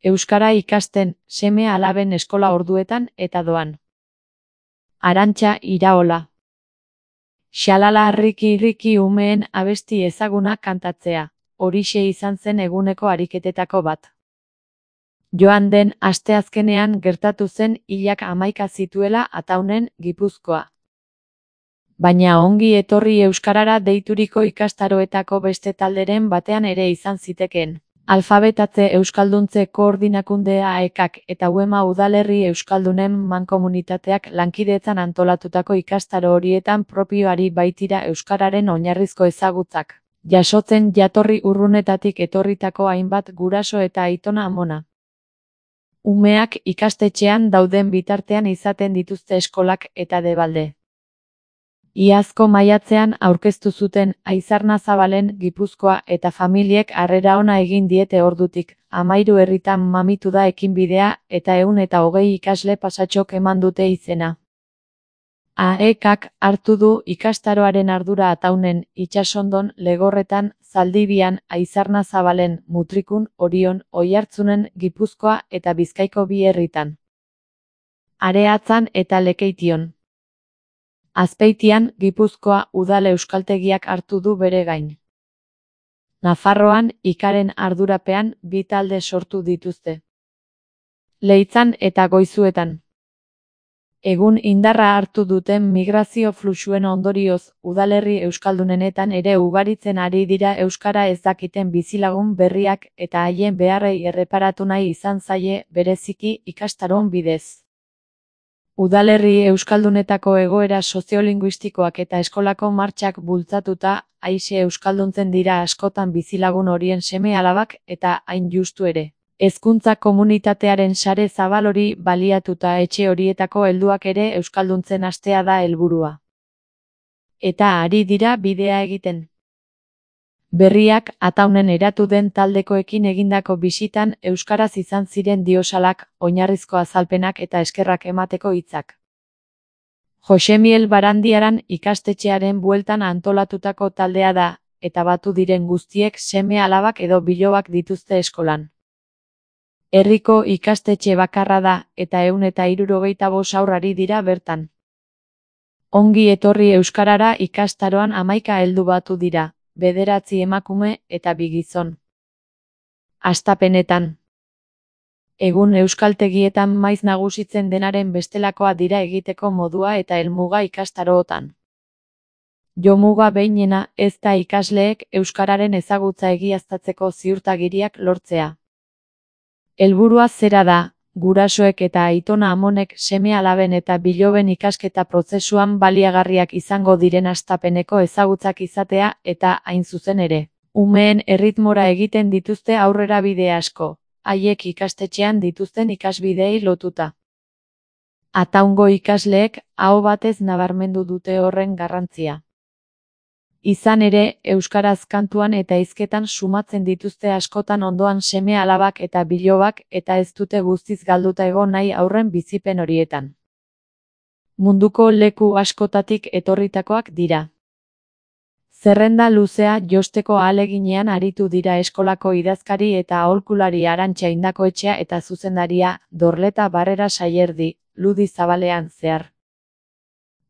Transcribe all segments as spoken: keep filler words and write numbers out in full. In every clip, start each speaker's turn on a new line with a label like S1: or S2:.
S1: Euskara ikasten, seme alaben eskola orduetan eta doan. Arantxa Iraola. Xalala riki riki umeen abesti ezaguna kantatzea, horixe izan zen eguneko ariketetako bat. Joan den asteazkenean gertatu zen hilak hamaika zituela Ataunen, Gipuzkoa. Baina ongi etorri euskarara deituriko ikastaroetako beste talderen batean ere izan zitekeen. Alfabetatze Euskalduntze Koordinakundea A E K eta Uema Udalerri Euskaldunen mankomunitateak lankidetzan antolatutako ikastaro horietan propioari baitira euskararen oinarrizko ezagutzak, jasotzen jatorri urrunetatik etorritako hainbat guraso eta aitona amona. Umeak ikastetxean dauden bitartean izaten dituzte eskolak eta debalde. Iazko maiatzean aurkeztu zuten Aizarnazabalen Gipuzkoa eta familiek harrera ona egin diete ordutik, hamairu herritan mamitu da ekinbidea eta ehun eta hogei ikasle pasatxok eman dute izena. A E K hartu du ikastaroaren ardura Ataunen, Itsasondon, Legorretan, Zaldibian, Aizarnazabalen, Mutrikun, Orion, Oiartzunen, Gipuzkoa eta Bizkaiko bi herritan. Areatzan eta Lekeition. Azpeitian, Gipuzkoa udal euskaltegiak hartu du bere gain. Nafarroan, ikaren ardurapean, bi talde sortu dituzte. Leitzan eta Goizuetan. Egun indarra hartu duten migrazio fluxuen ondorioz, udalerri euskaldunenetan ere ugaritzen ari dira euskara ez dakiten bizilagun berriak eta haien beharrei erreparatu nahi izan zaie bereziki ikastaron bidez. Udalerri euskaldunetako egoera soziolinguistikoak eta eskolako martxak bultzatuta, aise euskalduntzen dira askotan bizilagun horien seme alabak eta hain justu ere. Hezkuntza komunitatearen sare zabal hori baliatuta etxe horietako helduak ere euskalduntzen hastea da helburua. Eta ari dira bidea egiten. Berriak Ataunen eratu den taldekoekin egindako bisitan euskaraz izan ziren diosalak, oinarrizko azalpenak eta eskerrak emateko hitzak. Josemiel Barandiaran ikastetxearen bueltan antolatutako taldea da, eta batu diren guztiek seme alabak edo bilobak dituzte eskolan. Herriko ikastetxe bakarra da, eta ehun eta hirurogeita bost haur ari dira bertan. Ongi etorri euskarara ikastaroan hamaika heldu batu dira, bederatzi emakume eta bi gizon. Hastapenetan. Egun euskaltegietan maiz nagusitzen denaren bestelakoa dira egiteko modua eta helmuga ikastarootan. Jomuga behinena ez da ikasleek euskararen ezagutza egiaztatzeko ziurtagiriak lortzea. Helburua zera da, gurasoek eta aitona amonek seme alaben eta biloben ikasketa prozesuan baliagarriak izango diren hastapeneko ezagutzak izatea eta hain zuzen ere. Umeen erritmora egiten dituzte aurrera bide asko, haiek ikastetxean dituzten ikasbideei lotuta. Ataungo ikasleek aho batez nabarmendu dute horren garrantzia. Izan ere, euskaraz kantuan eta hizketan sumatzen dituzte askotan ondoan seme alabak eta bilobak eta ez dute guztiz galduta egon nahi aurren bizipen horietan. Munduko leku askotatik etorritakoak dira. Zerrenda luzea josteko ahaleginean aritu dira eskolako idazkari eta aholkulari Arantxa Indakoetxea eta zuzendaria Dorleta Barrera Saierdi, Ludi Zabalean zehar.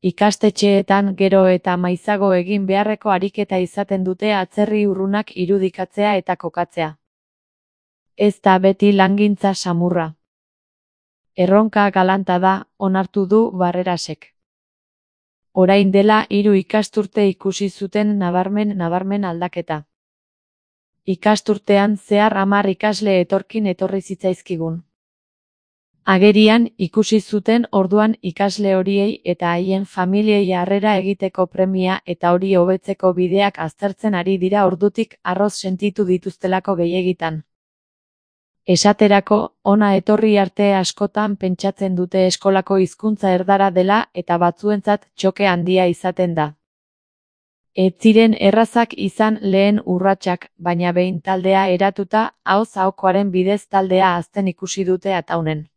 S1: Ikastetxeetan gero eta maizago egin beharreko ariketa izaten dute atzerri urrunak irudikatzea eta kokatzea. Ez da beti langintza samurra. Erronka galanta da, onartu du Barrerasek. Orain dela hiru ikasturte ikusi zuten nabarmen nabarmen aldaketa. Ikasturtean zehar hamar ikasle etorkin etorri zitzaizkigun. Agerian ikusi zuten orduan ikasle horiei eta haien familiei harrera egiteko premia eta hori hobetzeko bideak aztertzen ari dira ordutik arroz sentitu dituztelako gehiegitan. Esaterako, hona etorri arte askotan pentsatzen dute eskolako hizkuntza erdara dela eta batzuentzat txoke handia izaten da. Ez ziren errazak izan lehen urratsak, baina behin taldea eratuta, ahoz ahokoaren bidez taldea hazten ikusi dute Ataunen.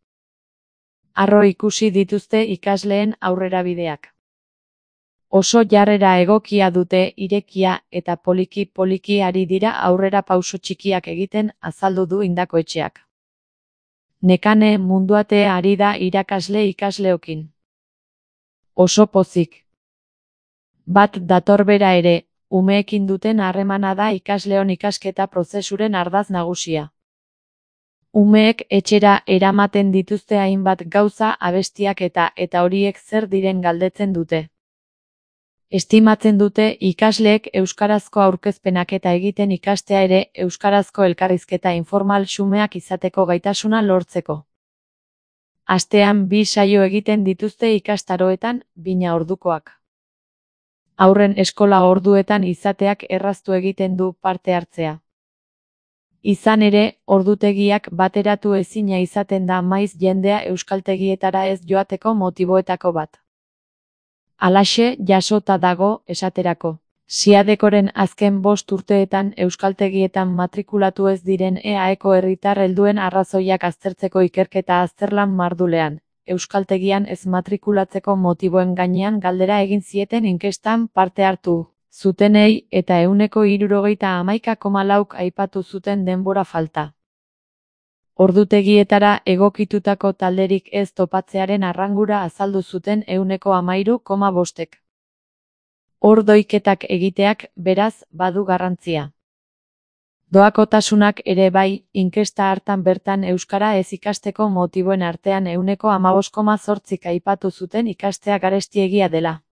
S1: Harro ikusi dituzte ikasleen aurrerabideak. Oso jarrera egokia dute, irekia eta poliki-poliki ari dira aurrera pauso txikiak egiten, azaldu du Indakoetxeak. Nekane munduate ari da irakasle ikasleokin. Oso pozik. Bat dator bera ere, umeekin duten harremana da ikasleon ikasketa prozesuren ardaz nagusia. Umeek etxera eramaten dituzte hainbat gauza, abestiak eta eta horiek zer diren galdetzen dute. Estimatzen dute ikasleek euskarazko aurkezpenak eta egiten ikastea ere euskarazko elkarrizketa informal xumeak izateko gaitasuna lortzeko. Astean bi saio egiten dituzte ikastaroetan, bina ordukoak. Haurren eskola orduetan izateak erraztu egiten du parte hartzea. Izan ere, ordutegiak bateratu ezina izaten da maiz jendea euskaltegietara ez joateko motiboetako bat. Halaxe jasota dago, esaterako. Siadekoren azken bost urteetan euskaltegietan matrikulatu ez diren E A Eko herritar helduen arrazoiak aztertzeko ikerketa azterlan mardulean, euskaltegian ez matrikulatzeko motiboen gainean galdera egin zieten inkestan parte hartu zutenei eta ehuneko hirurogeita hamaika koma lauk aipatu zuten denbora falta. Ordutegietara egokitutako talderik ez topatzearen arrangura azaldu zuten ehuneko hamairu koma bostek. Ordoiketak egiteak, beraz, badu garrantzia. Doakotasunak ere bai, inkesta hartan bertan euskara ez ikasteko motiboen artean ehuneko hamabost koma zortzik aipatu zuten ikastea garestiegia dela.